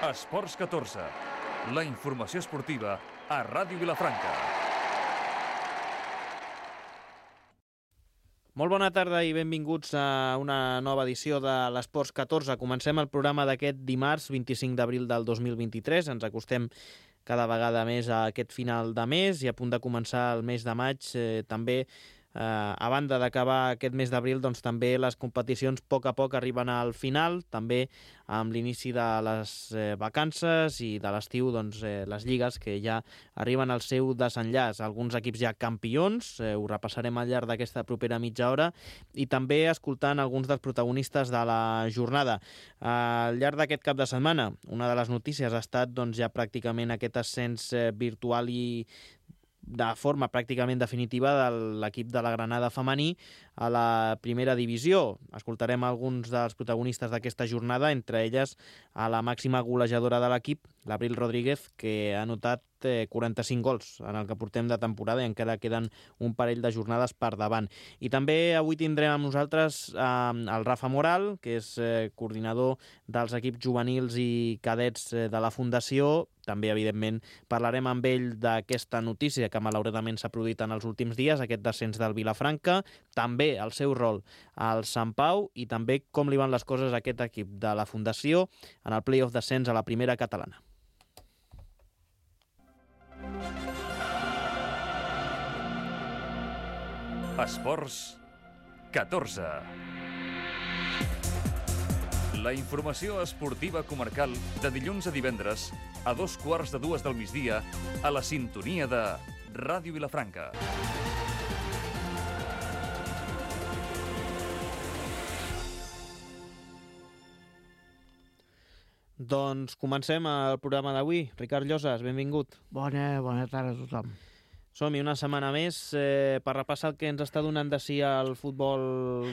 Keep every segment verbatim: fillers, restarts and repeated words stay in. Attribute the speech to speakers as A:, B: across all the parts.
A: Esports catorze, la informació esportiva a Ràdio Vilafranca.
B: Molt bona tarda i benvinguts a una nova edició de l'Esports catorze. Comencem el programa d'aquest dimarts vint-i-cinc d'abril del dos mil vint-i-tres. Ens acostem cada vegada més a aquest final de mes i a punt de començar el mes de maig eh, també. Eh, a banda d'acabar aquest mes d'abril, doncs també les competicions a poc a poc arriben al final, també amb l'inici de les eh, vacances i de l'estiu, doncs eh, les lligues que ja arriben al seu desenllaç. Alguns equips ja campions, eh, ho repassarem al llarg d'aquesta propera mitja hora, i també escoltant alguns dels protagonistes de la jornada. Eh, al llarg d'aquest cap de setmana, una de les notícies ha estat doncs, ja pràcticament aquest ascens eh, virtual i de forma pràcticament definitiva de l'equip de la Granada femení a la primera divisió. Escoltarem alguns dels protagonistes d'aquesta jornada, entre elles a la màxima golejadora de l'equip, l'Abril Rodríguez, que ha anotat eh, quaranta-cinc gols en el que portem de temporada i encara queden un parell de jornades per davant. I també avui tindrem amb nosaltres eh, el Rafa Moral, que és eh, coordinador dels equips juvenils i cadets eh, de la Fundació. També, evidentment, parlarem amb ell d'aquesta notícia que malauradament s'ha produït en els últims dies, aquest descens del Vilafranca, també el seu rol al Sant Pau i també com li van les coses a aquest equip de la Fundació en el play-off descens a la primera catalana.
A: Esports catorze. La informació esportiva comarcal de dilluns a divendres a dos quarts de dues del migdia a la sintonia de Ràdio Vilafranca.
B: Doncs comencem el programa d'avui. Ricard Llosas, benvingut.
C: Bona, bona tarda a tothom.
B: Som-hi una setmana més eh, per repassar el que ens està donant de si el futbol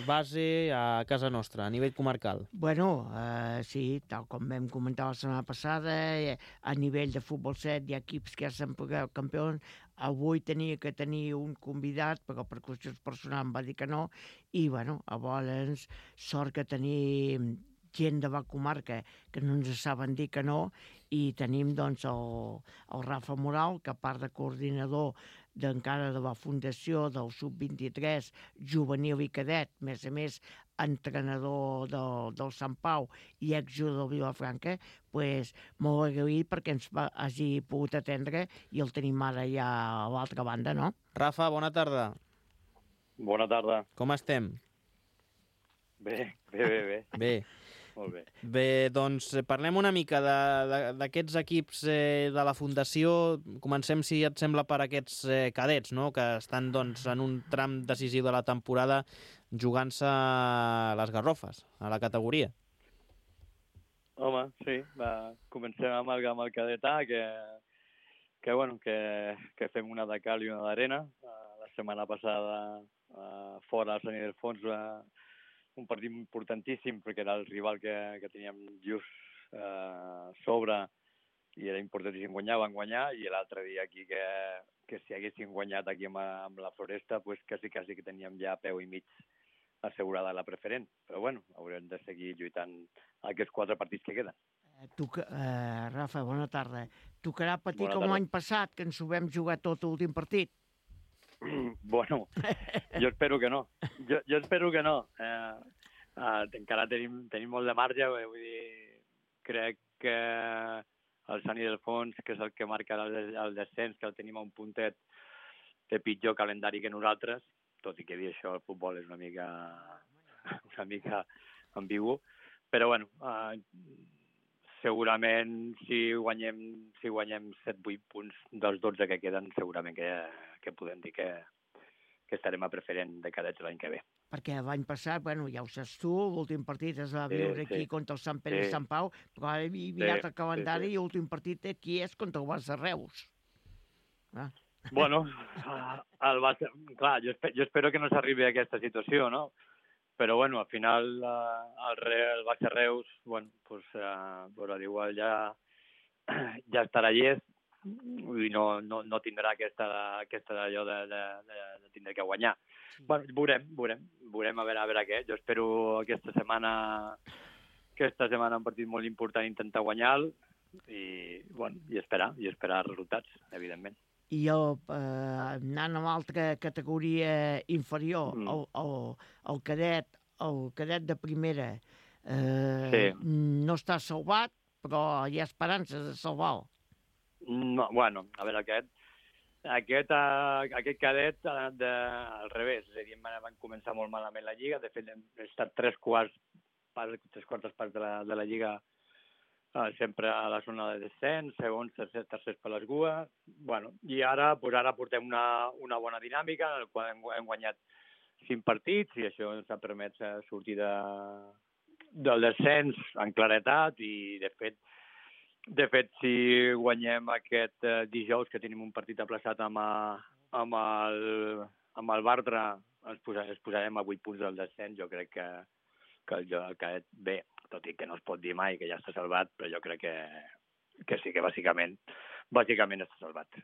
B: base a casa nostra, a nivell comarcal.
C: Bueno, eh, sí, tal com vam comentar la setmana passada, eh, a nivell de futbol set hi ha equips que ja s'han pagat campions. Avui tenia que tenir un convidat, però per qüestions personals em va dir que no, i bueno, llavors sort que tenim gent de la comarca que no ens saben dir que no, i tenim doncs el, el Rafa Moral, que a part de coordinador d'encara de la Fundació del sub vint-i-tres juvenil i cadet, a més a més entrenador del, del Sant Pau i exjugador del Vilafranca, pues, molt agraït perquè ens va, hagi pogut atendre i el tenim ara ja a l'altra banda, no?
B: Rafa, bona tarda.
D: Bona tarda.
B: Com estem?
D: Bé, bé, bé, bé.
B: Bé.
D: Molt bé.
B: Bé, doncs parlem una mica d'aquests equips eh, de la Fundació. Comencem, si et sembla, per aquests eh, cadets, no?, que estan doncs, en un tram decisiu de la temporada jugant-se les garrofes, a la categoria.
D: Home, sí, va, comencem amb el, amb el cadet A, que, que, bueno, que, que fem una de cal i una d'arena. La setmana passada, uh, fora al Sant Ildefons, uh, un partit importantíssim perquè era el rival que, que teníem just eh, sobre i era importantíssim guanyar, van guanyar, i l'altre dia aquí que, que si haguessin guanyat aquí amb, amb la Floresta, pues quasi, quasi que teníem ja peu i mig assegurada la preferent. Però bueno, haurem de seguir lluitant aquests quatre partits que queden.
C: Eh, tu, eh, Rafa, bona tarda. Tocarà patir
D: Bona
C: com
D: tarda.
C: l'any passat, que ens ho vam jugar tot l'últim partit?
D: Bueno, jo espero que no. Jo, jo espero que no. Eh, eh, encara tenim, tenim molt de marge, eh, vull dir, crec que el Sant Ildefons, que és el que marca el, el descens, que el tenim a un puntet de pitjor calendari que nosaltres, tot i que dir això, el futbol és una mica, una mica ambigu, però bueno, eh, segurament si guanyem si guanyem set vuit punts dels dotze que queden, segurament que, que podem dir que, que estarem a preferent de cadets l'any que ve.
C: Perquè l'any passat, bueno, ja ho saps tu, l'últim partit es va
D: Sí,
C: viure aquí
D: sí.
C: contra el Sant Pere i
D: Sí.
C: Sant Pau, però ara he mirat
D: Sí,
C: el calendari
D: sí, sí.
C: i l'últim partit aquí és contra el Barça Reus. Ah.
D: Bueno, el Barça, clar, jo, espe, jo espero que no s'arribi a aquesta situació, no? Però, bueno, al final eh, el, Re, el Barça Reus, bueno, pues, eh, però igual ja, ja estarà llest i no, no, no tindrà aquesta, aquesta allò de, de, de, de tindre que guanyar. Sí. Bueno, veurem, veurem, veurem a veure, a veure què. Jo espero aquesta setmana, aquesta setmana un partit molt important intentar guanyar-lo, i, bueno, i esperar, i esperar resultats, evidentment.
C: I el, eh, anant a l'altra categoria inferior,
D: Mm.
C: el, el, el cadet, el cadet de primera, eh,
D: Sí.
C: no està salvat, però hi ha esperances de salvar-lo.
D: No, bueno, a veure, aquest, aquest, uh, aquest cadet ha anat de, al revés, és a dir, van, van començar molt malament la Lliga, de fet hem estat tres quarts, parts, tres quartes parts de la, de la Lliga uh, sempre a la zona de descens, segons, tercers, tercers per les gues, bueno, i ara, pues ara portem una, una bona dinàmica en la qual hem, hem guanyat cinc partits i això ens ha permès uh, sortir de, del descens en claretat i, de fet, De fet, si guanyem aquest eh, dijous, que tenim un partit aplaçat amb, a, amb, el, amb el Bartra, ens, posa, ens posarem a vuit punts del descens. Jo crec que, que el cadet, bé, tot i que no es pot dir mai que ja està salvat, però jo crec que, que sí que bàsicament, bàsicament està salvat.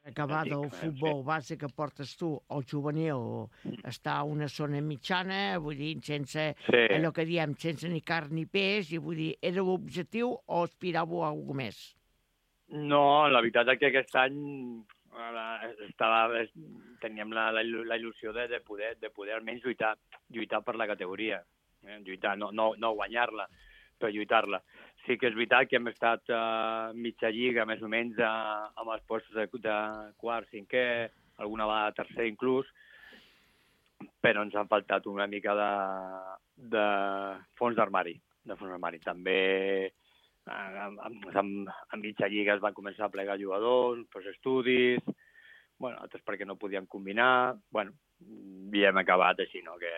C: Acabat el futbol base que portes tu, el juvenil, està a una zona mitjana, vull dir, sense
D: Sí.
C: allò que diem, sense ni carn ni peix, i vull dir, era l'objectiu o aspiràveu a alguna més?
D: No, la veritat és que aquest any eh, estava, teníem la, la, la il·lusió de, de, poder, de poder almenys lluitar, lluitar per la categoria, eh? lluitar, no, no, no guanyar-la, però lluitar-la. Sí que és veritat que hem estat uh, mitja lliga, més o menys, uh, amb els postos de, de quart, cinquè, alguna vegada tercer inclús, però ens han faltat una mica de, de fons d'armari. De fons d'armari. També uh, a mitja lliga es van començar a plegar jugadors, pues, estudis, bueno, altres perquè no podien combinar, bueno, i hem acabat així, no? que,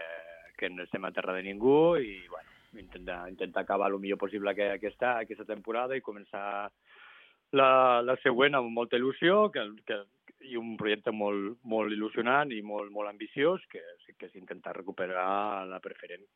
D: que no estem a terra de ningú i, bueno, intentar, intentar acabar el millor possible aquesta, aquesta temporada i començar la, la següent amb molta il·lusió que, que, i un projecte molt, molt il·lusionant i molt, molt ambiciós que, que és intentar recuperar la preferent.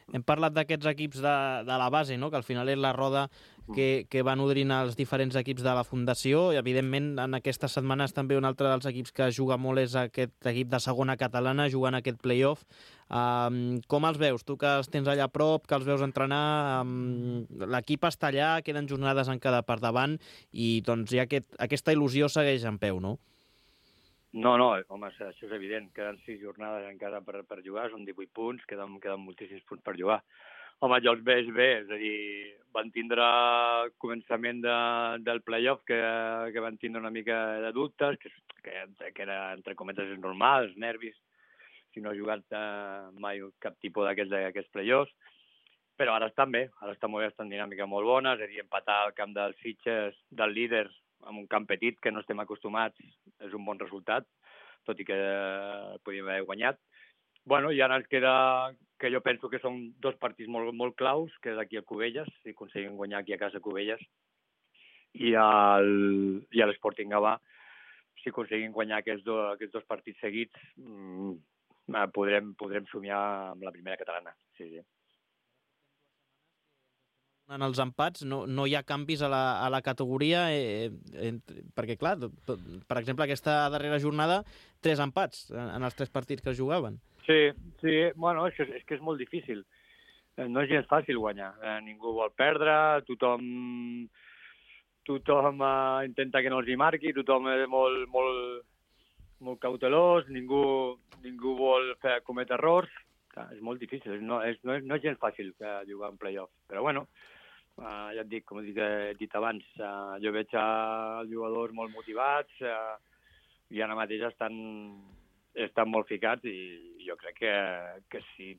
B: Hem parlat d'aquests equips de, de la base, no? Que al final és la roda que, que va nodrint els diferents equips de la Fundació i, evidentment, en aquestes setmanes també un altre dels equips que juga molt és aquest equip de segona catalana jugant aquest play-off. Um, com els veus? Tu que els tens allà a prop, que els veus entrenar, um, l'equip està allà, queden jornades encara per davant i doncs ja aquest, aquesta il·lusió segueix en peu, no?
D: No, no, home, això és evident. Queden sis jornades encara per, per jugar, són divuit punts, queden, queden moltíssims punts per jugar. Home, jo els veig bé, és a dir, van tindre el començament de, del play-off que, que van tindre una mica de dubtes, que, que, que era, entre cometes, normal, els nervis, si no ha jugat eh, mai cap tipus d'aquests play-offs, però ara estan bé, ara estan molt bé, estan dinàmica molt bona, és a dir, empatar al camp dels Sitges, del líder, amb un camp petit que no estem acostumats, és un bon resultat, tot i que podíem haver guanyat. Bueno, i ara ens queda, que jo penso que són dos partits molt, molt claus, que és aquí a Cubelles, si aconseguim guanyar aquí a casa a Cubelles, i, el, i a l'Sporting Gavà, si aconseguim guanyar aquests, do, aquests dos partits seguits, mmm, podrem, podrem somiar amb la primera catalana. Sí, sí.
B: En els empats no, no hi ha canvis a la, a la categoria, eh, eh, perquè, clar, per exemple, aquesta darrera jornada, tres empats en, en els tres partits que es jugaven.
D: Sí, sí, bueno, és que, és que és molt difícil. No és gens fàcil guanyar. Eh, ningú vol perdre, tothom, tothom eh, intenta que no els hi marqui, tothom és molt, molt, molt cautelós, ningú, ningú vol fer, cometre errors. Clar, és molt difícil, no és, no és, no és gens fàcil eh, jugar en play-off. Però bueno, Uh, ja et dic, com he dit, he dit abans, uh, jo veig uh, els jugadors molt motivats uh, i ara mateix estan, estan molt ficats i jo crec que, que si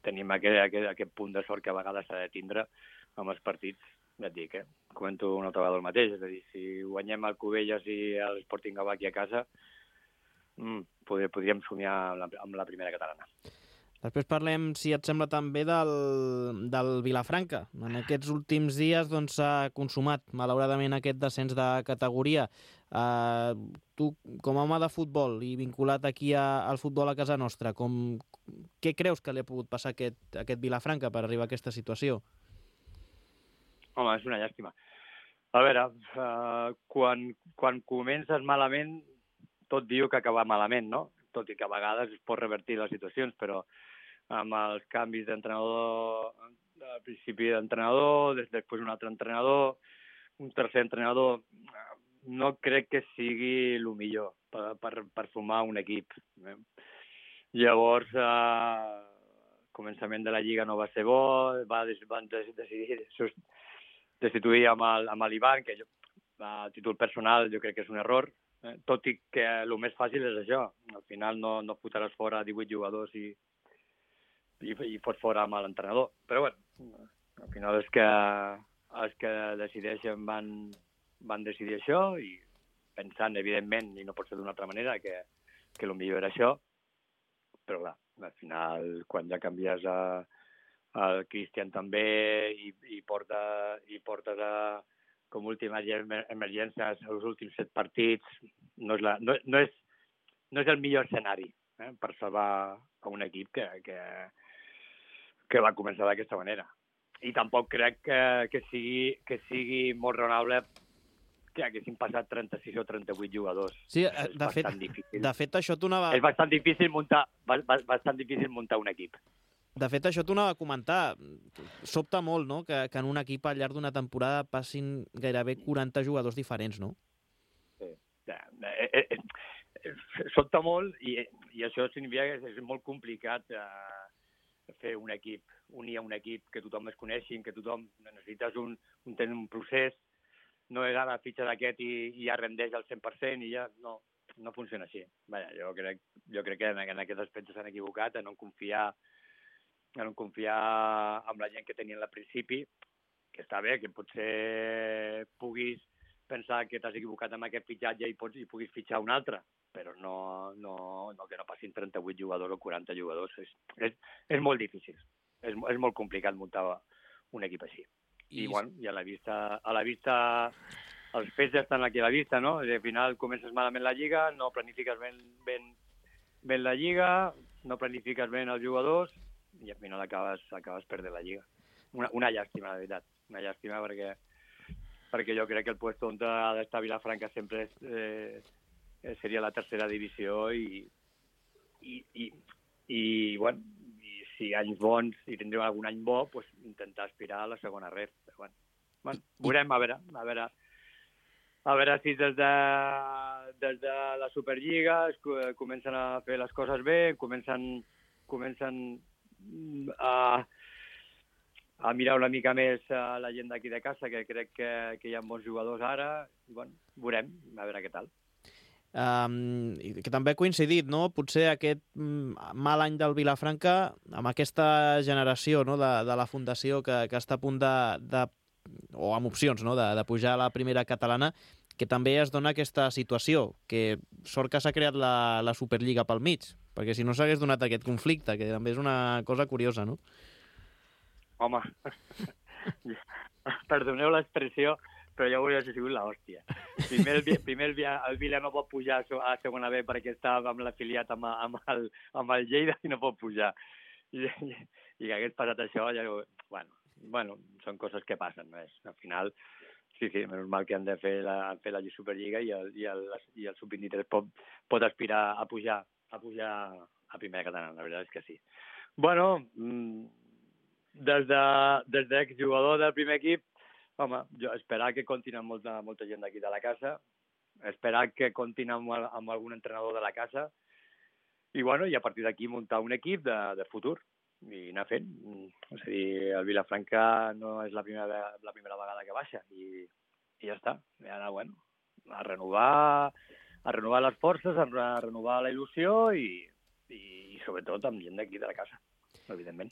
D: tenim aquest, aquest, aquest punt de sort que a vegades s'ha de tindre amb els partits, ja et dic, eh? Comento una altra vegada el mateix, és a dir, si guanyem el Cubelles i l'Sporting Gavà aquí a casa, mm, podríem, podríem somiar amb la, amb la primera catalana.
B: Després parlem, si et sembla, també del, del Vilafranca. En aquests últims dies s'ha doncs, consumat, malauradament, aquest descens de categoria. Uh, tu, com a home de futbol i vinculat aquí a, al futbol a casa nostra, com, què creus que li ha pogut passar a aquest, a aquest Vilafranca per arribar a aquesta situació?
D: Home, és una llàstima. A veure, uh, quan, quan comences malament, tot diu que acaba malament, no? Tot i que a vegades es pot revertir les situacions, però amb els canvis d'entrenador, al principi d'entrenador, després un altre entrenador, un tercer entrenador no crec que sigui el millor per, per, per formar un equip. Eh? Llavors, eh, començament de la Lliga no va ser bo, va, van decidir destituir amb el, amb l'Ivan, que jo, a títol personal jo crec que és un error, eh? Tot i que el més fàcil és això. Al final no, no fotràs fora divuit jugadors i, i, i fots fora amb l'entrenador. Però bueno, al final és que els que decideixen van, van decidir això i pensant, evidentment, i no pot ser d'una altra manera, que, que el millor era això. Però clar, al final, quan ja canvies a, el Cristian també i, i, porta, i portes a, com última emergència els últims set partits, no és, la, no, no és, no és el millor escenari eh, per salvar a un equip que, que, que va començar d'aquesta manera. I tampoc crec que, que, sigui, que sigui molt raonable que haguessin passat trenta-sis o trenta-vuit jugadors.
B: Sí, de fet, de fet, això t'ho anava...
D: És bastant difícil muntar, bastant difícil muntar un equip.
B: De fet, això t'ho anava a comentar. Sobta molt, no?, que, que en un equip al llarg d'una temporada passin gairebé quaranta jugadors diferents, no?
D: Sí. Eh, eh, eh, sobta molt i, i això significa que és molt complicat eh, fer un equip, unir a un equip, que tothom es coneixi, que tothom necessites un, un, un procés. No és ara fitxa d'aquest i, i ja rendeix al cent per cent i ja no, no funciona així. Vaja, jo crec, jo crec que en, en aquest aspecte s'han equivocat en no confiar en no confiar en la gent que tenien al principi, que està bé, que potser puguis pensar que t'has equivocat amb aquest fitxatge i, pots, i puguis fitxar un altre, però no, no, no que no passin trenta-vuit jugadors o quaranta jugadors. És, és, és molt difícil. És, és molt complicat muntar un equip així. I, bueno, i a la vista, a la vista, els fets ja estan aquí a la vista, no? Al final comences malament la Lliga, no planifiques ben, ben, ben la Lliga, no planifiques ben els jugadors i al final acabes, acabes perdent la Lliga. Una, una llàstima, la veritat. Una llàstima perquè, perquè jo crec que el puesto on ha d'estar Vilafranca sempre és, eh, seria la tercera divisió i, i, i, i bueno, si anys bons i tindrem algun any bo, pues, intentar aspirar a la segona ref. Però, bueno, bueno, veurem, a veure, a veure, a veure si des de, des de la Superliga es comencen a fer les coses bé, comencen, comencen a, a mirar una mica més a la gent d'aquí de casa, que crec que, que hi ha bons jugadors ara. I, bueno, veurem, a veure què tal.
B: Um, que també ha coincidit, no?, potser aquest um, mal any del Vilafranca amb aquesta generació, no?, de, de la fundació que, que està a punt de, de o amb opcions, no?, de, de pujar a la primera catalana, que també es dona aquesta situació, que sort que s'ha creat la, la Superliga pel mig, perquè si no s'hagués donat aquest conflicte, que també és una cosa curiosa, no?
D: Home, perdoneu l'expressió, però ja hauria sigut l'hòstia. Primer, el, primer el, el Vila no pot pujar a segona B perquè està amb l'afiliat amb, amb, el, amb el Lleida i no pot pujar. I, i, i que hagués passat això, ja, bueno, bueno, són coses que passen. No? Al final, sí, sí, menys mal que han de fer la, fer la Superliga i el, i el, i el sub vint-i-tres pot, pot aspirar a pujar, a pujar a primera catalana, la veritat és que sí. Bueno, des de, des d'exjugador del primer equip, home, jo esperar que comptin amb molta, molta gent d'aquí de la casa, esperar que comptin amb, amb algun entrenador de la casa i, bueno, i a partir d'aquí muntar un equip de, de futur i anar fent. És a dir, el Vilafranca no és la primera, la primera vegada que baixa i, i ja està. I ara, bueno, a renovar, a renovar les forces, a renovar la il·lusió i, i, i sobretot amb gent d'aquí de la casa, evidentment.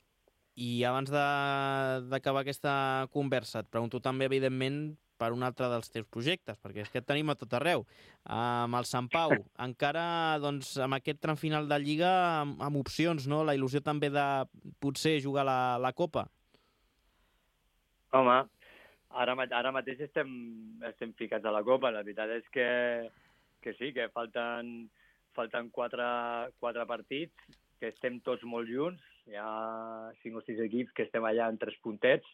B: I abans d'acabar aquesta conversa, et pregunto també, evidentment, per un altre dels teus projectes, perquè és que et tenim a tot arreu. Amb el Sant Pau, encara, doncs, amb aquest tram final de Lliga, amb, amb opcions, no? La il·lusió també de potser jugar la, la Copa.
D: Home, ara, ara mateix estem, estem ficats a la Copa. La veritat és que, que sí, que falten, falten quatre, quatre partits, que estem tots molt junts. Hi ha cinc o sis equips que estem allà en tres puntets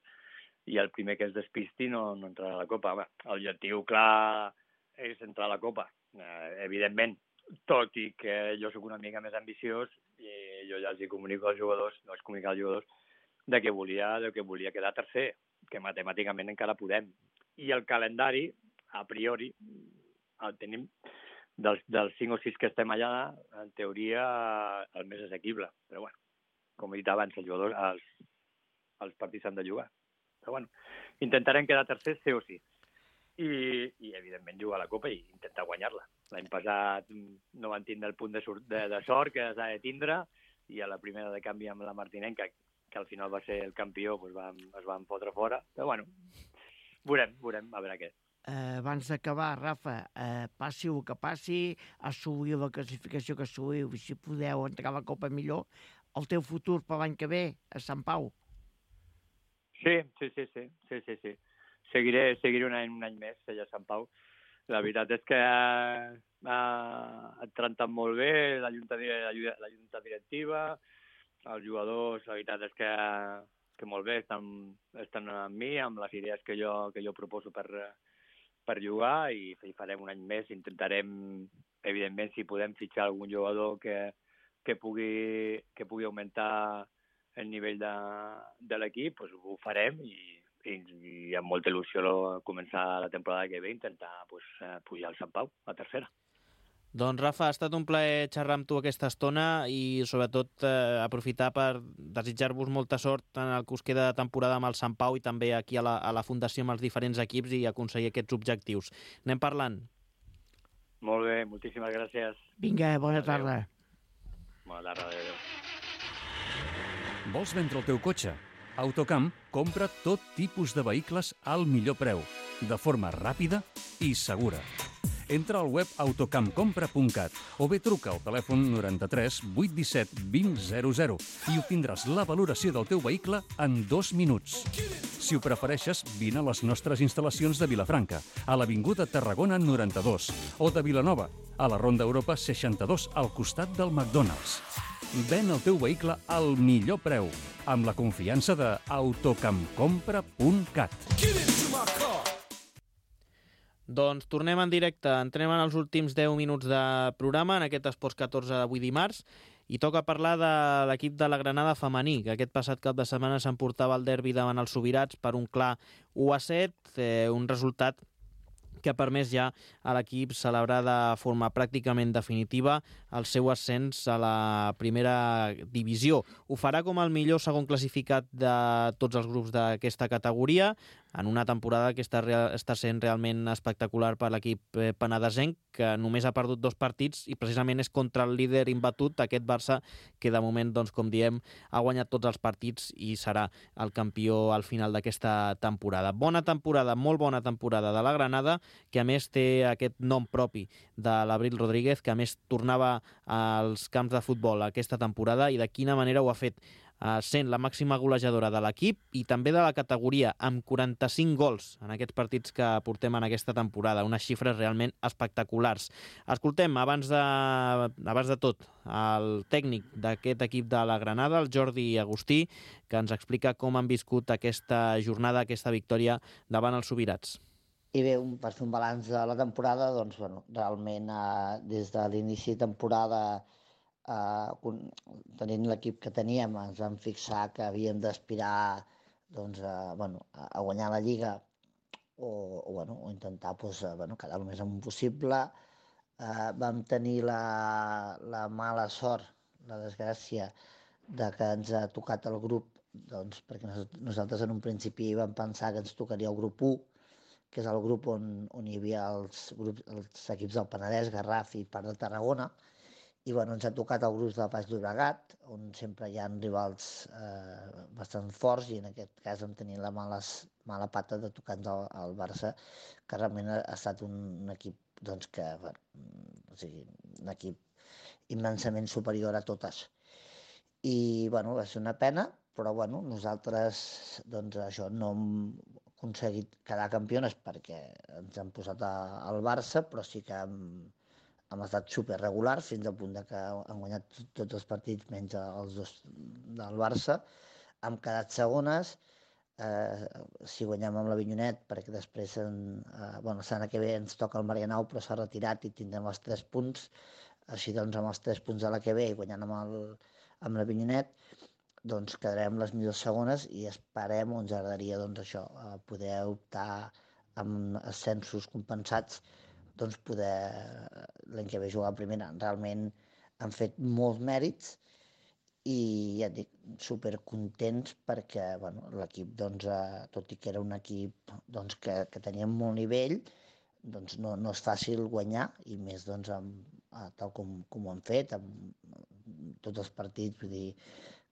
D: i el primer que es despisti no, no entrarà a la Copa. Home, l'objectiu clar és entrar a la Copa, eh, evidentment, tot i que jo sóc una mica més ambiciós i jo ja els hi comunico als jugadors, no els comunico als jugadors, de que volia, de que volia quedar tercer, que matemàticament encara podem. i el calendari, a priori, el tenim dels, dels cinc o sis que estem allà, en teoria, el més assequible. Però, bueno, com he dit abans, els jugadors, els, els partits s'han de jugar. Però, bueno, intentarem quedar tercers, sí o sí. I, i evidentment, jugar a la Copa i intentar guanyar-la. L'any passat no van tindre el punt de, de, de sort que s'ha de tindre, i a la primera de canvi amb la Martinenca, que, que al final va ser el campió, doncs vam, es van fotre fora. Però, bueno, veurem, veurem, a veure què.
C: Eh, abans d'acabar, Rafa, eh, passi el que passi, assolir la classificació que assoliu, i si podeu entrar a la Copa millor, el teu futur per l'any que ve a Sant Pau.
D: Sí, sí, sí, sí, sí, sí, sí. Seguiré, seguiré un any, un any més allà a Sant Pau. La veritat és que ha, ha tractat molt bé la junta, la, la junta directiva, els jugadors, la veritat és que, que molt bé, estan, estan amb mi, amb les idees que jo, que jo proposo per, per jugar, i, i farem un any més. Intentarem, evidentment, si podem fitxar algun jugador que, que, pugui, que pugui augmentar el nivell de, de l'equip, doncs ho farem, i, i, i amb molta il·lusió començar la temporada que ve, intentar pues, pujar al Sant Pau, a tercera.
B: Doncs Rafa, ha estat un plaer xerrar amb tu aquesta estona i sobretot eh, aprofitar per desitjar-vos molta sort en el que us queda de temporada amb el Sant Pau i també aquí a la, a la Fundació amb els diferents equips i aconseguir aquests objectius. Anem parlant.
D: Molt bé, moltíssimes gràcies.
C: Vinga, bona
D: Adeu.
C: tarda.
D: Bona tarda, adéu.
A: Vols vendre el teu cotxe? Autocamp compra tot tipus de vehicles al millor preu, de forma ràpida i segura. Entra al web autocampcompra punt cat o bé truca al telèfon noranta-tres vuit disset vint zero zero i obtindràs la valoració del teu vehicle en dos minuts. Si ho prefereixes, vine a les nostres instal·lacions de Vilafranca, a l'Avinguda Tarragona noranta-dos, o de Vilanova, a la Ronda Europa seixanta-dos, al costat del McDonald's. Ven el teu vehicle al millor preu, amb la confiança de autocampcompra punt cat.
B: Doncs tornem en directe, entrem en els últims deu minuts de programa, en aquest Esports catorze d'avui dimarts, i toca parlar de l'equip de la Granada femení, que aquest passat cap de setmana s'emportava el derbi davant els Sobirats per un clar u a set, eh, un resultat que ha permès ja a l'equip celebrar de forma pràcticament definitiva el seu ascens a la primera divisió. Ho farà com el millor segon classificat de tots els grups d'aquesta categoria, en una temporada que està, real, està sent realment espectacular per l'equip penedesenc, que només ha perdut dos partits i precisament és contra el líder imbatut, aquest Barça, que de moment, doncs, com diem, ha guanyat tots els partits i serà el campió al final d'aquesta temporada. Bona temporada, molt bona temporada de la Granada, que a més té aquest nom propi de l'Abril Rodríguez, que a més tornava als camps de futbol aquesta temporada, i de quina manera ho ha fet, sent la màxima golejadora de l'equip i també de la categoria, amb quaranta-cinc gols en aquests partits que portem en aquesta temporada, unes xifres realment espectaculars. Escoltem, abans de, abans de tot, el tècnic d'aquest equip de la Granada, el Jordi Agustí, que ens explica com han viscut aquesta jornada, aquesta victòria davant els Sobirats.
E: I bé, un, per fer un balanç de la temporada, doncs, bueno, realment eh, des de l'inici de temporada, eh, tenint l'equip que teníem, ens vam fixar que havíem d'aspirar doncs, a, bueno, a guanyar la Lliga o, o, bueno, o intentar pues, bueno, quedar el més amunt possible. Eh, vam tenir la, la mala sort, la desgràcia, de que ens ha tocat el grup, doncs, perquè nosaltres en un principi vam pensar que ens tocaria el grup u, que és el grup on, on hi havia els, grups, els equips del Penedès, Garraf i part de Tarragona, i bueno, ens ha tocat el grup del Baix Llobregat, on sempre hi ha rivals eh, bastant forts, i en aquest cas vam tenir la males, mala pata de tocar-nos el, el Barça, que realment ha, ha estat un, un equip doncs, que, bueno, o sigui, un equip immensament superior a totes. I bueno, va ser una pena, però bueno, nosaltres doncs, això no hem aconseguit quedar campiones perquè ens han posat a, al Barça, però sí que hem, hem estat superregulars fins al punt de que han guanyat tots els partits menys els dos del Barça. Hem quedat segones, eh, si guanyem amb l'Avinyonet, perquè després en, eh, bueno, la setmana que ve ens toca el Marianao, però s'ha retirat i tindrem els tres punts. Així doncs, amb els tres punts de la que ve i guanyant amb el, amb l'Avinyonet, doncs quedarem les millors segones i esperem, o ens agradaria doncs, això, poder optar amb ascensos compensats, doncs poder l'any que ve jugar a primera. Realment han fet molts mèrits i ja et dic, supercontents perquè bueno, l'equip, doncs, eh, tot i que era un equip doncs, que, que tenia molt nivell, doncs no, no és fàcil guanyar, i més doncs, amb, tal com, com ho han fet, amb tots els partits, vull dir,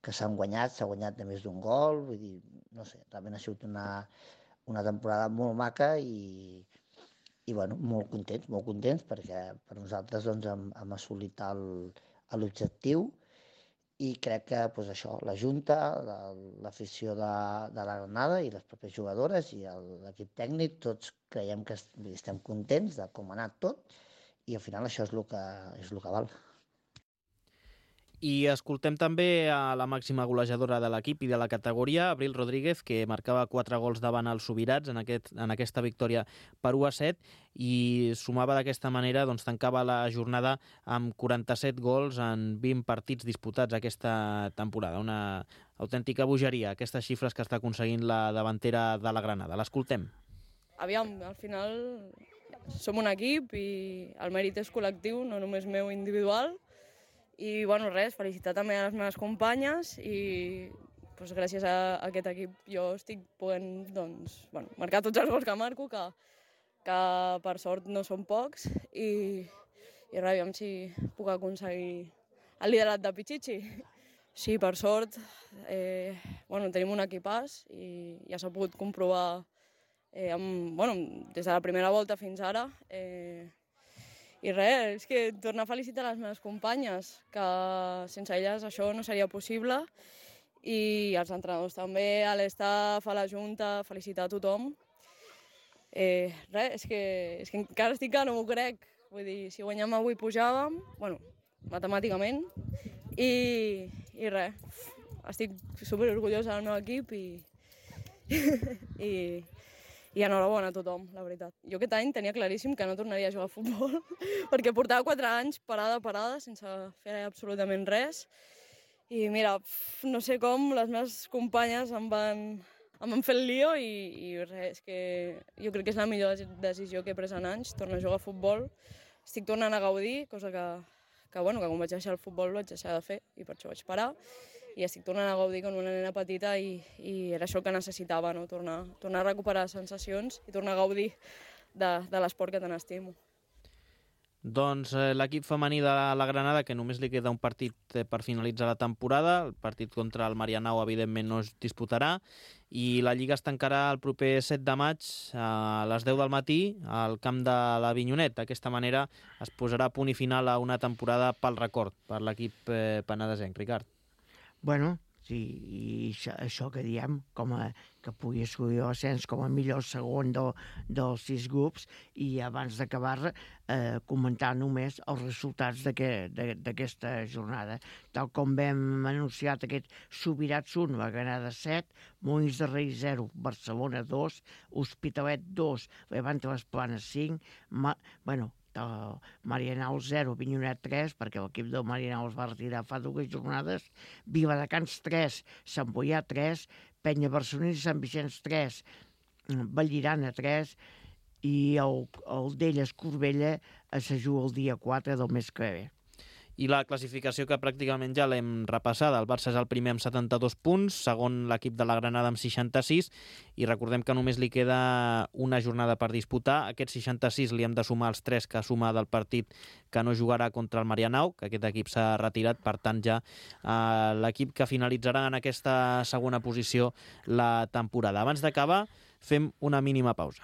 E: que s'han guanyat, s'ha guanyat de més d'un gol, vull dir, no sé, realment ha sigut una, una temporada molt maca i, i bueno, molt contents, molt contents, perquè per nosaltres doncs, hem, hem assolit l'objectiu. I crec que doncs, això, la Junta, l'afició de, de la Granada i les pròpies jugadores i l'equip tècnic, tots creiem que estem contents de com ha anat tot i al final això és el que, és el que val.
B: I escoltem també a la màxima golejadora de l'equip i de la categoria, Abril Rodríguez, que marcava quatre gols davant els Subirats en, aquest, en aquesta victòria per u a set i sumava d'aquesta manera, doncs tancava la jornada amb quaranta-set gols en vint partits disputats aquesta temporada. Una autèntica bogeria, aquestes xifres que està aconseguint la davantera de la Granada. L'escoltem.
F: Aviam, al final som un equip i el mèrit és col·lectiu, no només meu individual. I, bueno, res, felicitar també a les meves companyes i doncs, gràcies a aquest equip jo estic podent doncs, bueno, marcar tots els gols que marco, que, que per sort no són pocs, i, i res, aviam si puc aconseguir el liderat de Pichichi. Sí, per sort, eh, bueno, tenim un equipàs i ja s'ha pogut comprovar eh, amb, bueno, des de la primera volta fins ara. Eh, I res, és que tornar a felicitar les meves companyes, que sense elles això no seria possible, i els entrenadors també, a l'estaf, a la Junta, felicitar a tothom. Eh, res, és que, és que encara estic que no m'ho crec. Vull dir, si guanyem avui pujàvem, bueno, matemàticament, i, i res, estic superorgullosa del meu equip i, i, i enhorabona a tothom, la veritat. Jo aquest any tenia claríssim que no tornaria a jugar a futbol perquè portava quatre anys parada, parada, sense fer absolutament res. I mira, no sé com, les meves companyes em van, em van fer el lío i, i res, és que jo crec que és la millor decisió que he pres en anys, tornar a jugar a futbol. Estic tornant a gaudir, cosa que, que, bueno, que quan vaig deixar el futbol vaig deixar de fer i per això vaig parar. I estic tornant a gaudir com una nena petita i, i era això que necessitava, no? tornar, tornar a recuperar sensacions i tornar a gaudir de, de l'esport que tant estimo.
B: Doncs eh, l'equip femení de la Granada, que només li queda un partit eh, per finalitzar la temporada, el partit contra el Marianao evidentment no es disputarà, i la Lliga es tancarà el proper set de maig a les deu del matí al camp de l'Avinyonet. D'aquesta manera es posarà punt i final a una temporada pel record per l'equip eh, penedesenc. Ricard.
C: Bueno, sí, i això, això que diem, com a, que pugui assolir l'ascens com a millor segon de, dels sis grups, i abans d'acabar eh, comentar només els resultats d'aquesta jornada. Tal com vam anunciat, aquest Subirats un, la Granada set, Molins de Rei zero, Barcelona dos, Hospitalet dos, Levante les Planes cinc, ma, bueno, Marianao zero, Avinyonet tres, perquè l'equip del Marianao es va retirar fa dues jornades, Viladecans tres, Sant Boià tres, Penya Barcelonins i Sant Vicenç tres, Vallirana tres, i el, el d'Elles Corbella es juga el dia quatre del mes que ve.
B: I la classificació, que pràcticament ja l'hem repassada. El Barça és el primer amb setanta-dos punts, segon l'equip de la Granada amb seixanta-sis, i recordem que només li queda una jornada per disputar. Aquests seixanta-sis li hem de sumar els tres que suma del partit que no jugarà contra el Marianao, que aquest equip s'ha retirat, per tant ja eh, l'equip que finalitzarà en aquesta segona posició la temporada. Abans d'acabar, fem una mínima pausa.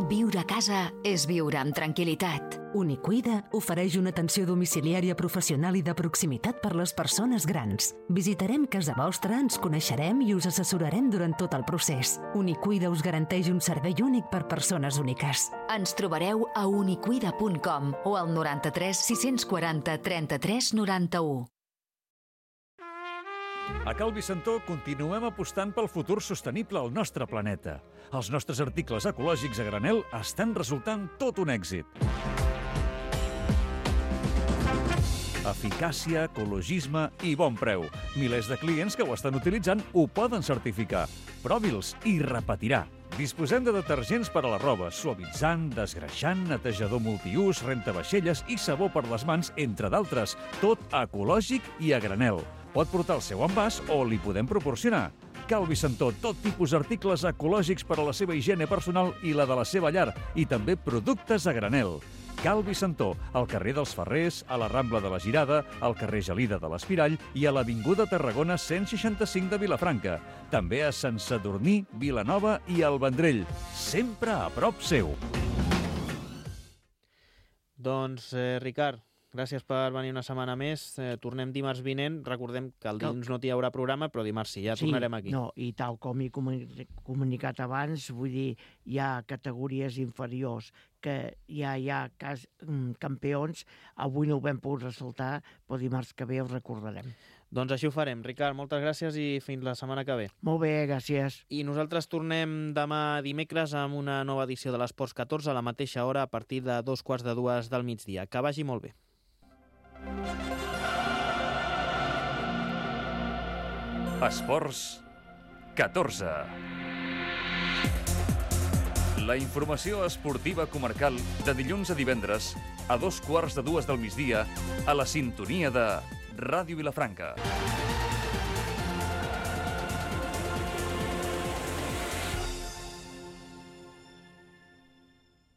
G: Viure a casa és viure amb tranquil·litat.
H: Unicuida ofereix una atenció domiciliària professional i de proximitat per les persones grans. Visitarem casa vostra, ens coneixerem i us assessorarem durant tot el procés. Unicuida us garanteix un servei únic per persones úniques.
G: Ens trobareu a unicuida punt com o al noranta-tres sis-cents quaranta trenta-tres noranta-u.
A: A Cal Vicentó continuem apostant pel futur sostenible al nostre planeta. Els nostres articles ecològics a granel estan resultant tot un èxit. Eficàcia, ecologisme i bon preu. Milers de clients que ho estan utilitzant ho poden certificar. Provi'ls i repetirà. Disposem de detergents per a la roba, suavitzant, desgreixant, netejador multiús, rentavaixelles i sabó per les mans, entre d'altres. Tot ecològic i a granel. Pot portar el seu envàs o li podem proporcionar. Calvi Santó, tot tipus d'articles ecològics per a la seva higiene personal i la de la seva llar, i també productes a granel. Calvi Santó, al carrer dels Ferrers, a la Rambla de la Girada, al carrer Gelida de l'Espirall i a l'Avinguda Tarragona cent seixanta-cinc de Vilafranca. També a Sant Sadurní, Vilanova i el Vendrell. Sempre a prop seu.
B: Doncs, eh, Ricard, gràcies per venir una setmana més. Eh, tornem dimarts vinent. Recordem que el dilluns no hi haurà programa, però dimarts sí, ja sí, tornarem aquí.
C: No, i tal com he comunicat abans, vull dir, hi ha categories inferiors que ja hi ha cas, campions. Avui no ho vam poder ressaltar, però dimarts que ve ho recordarem.
B: Doncs així ho farem. Ricard, moltes gràcies i fins la setmana que ve.
C: Molt bé, gràcies.
B: I nosaltres tornem demà dimecres amb una nova edició de l'Esports catorze a la mateixa hora a partir de dos quarts de dues del migdia. Que vagi molt bé.
A: Esports catorze. La informació esportiva comarcal de dilluns a divendres a dos quarts de dues del migdia a la sintonia de Ràdio Vilafranca.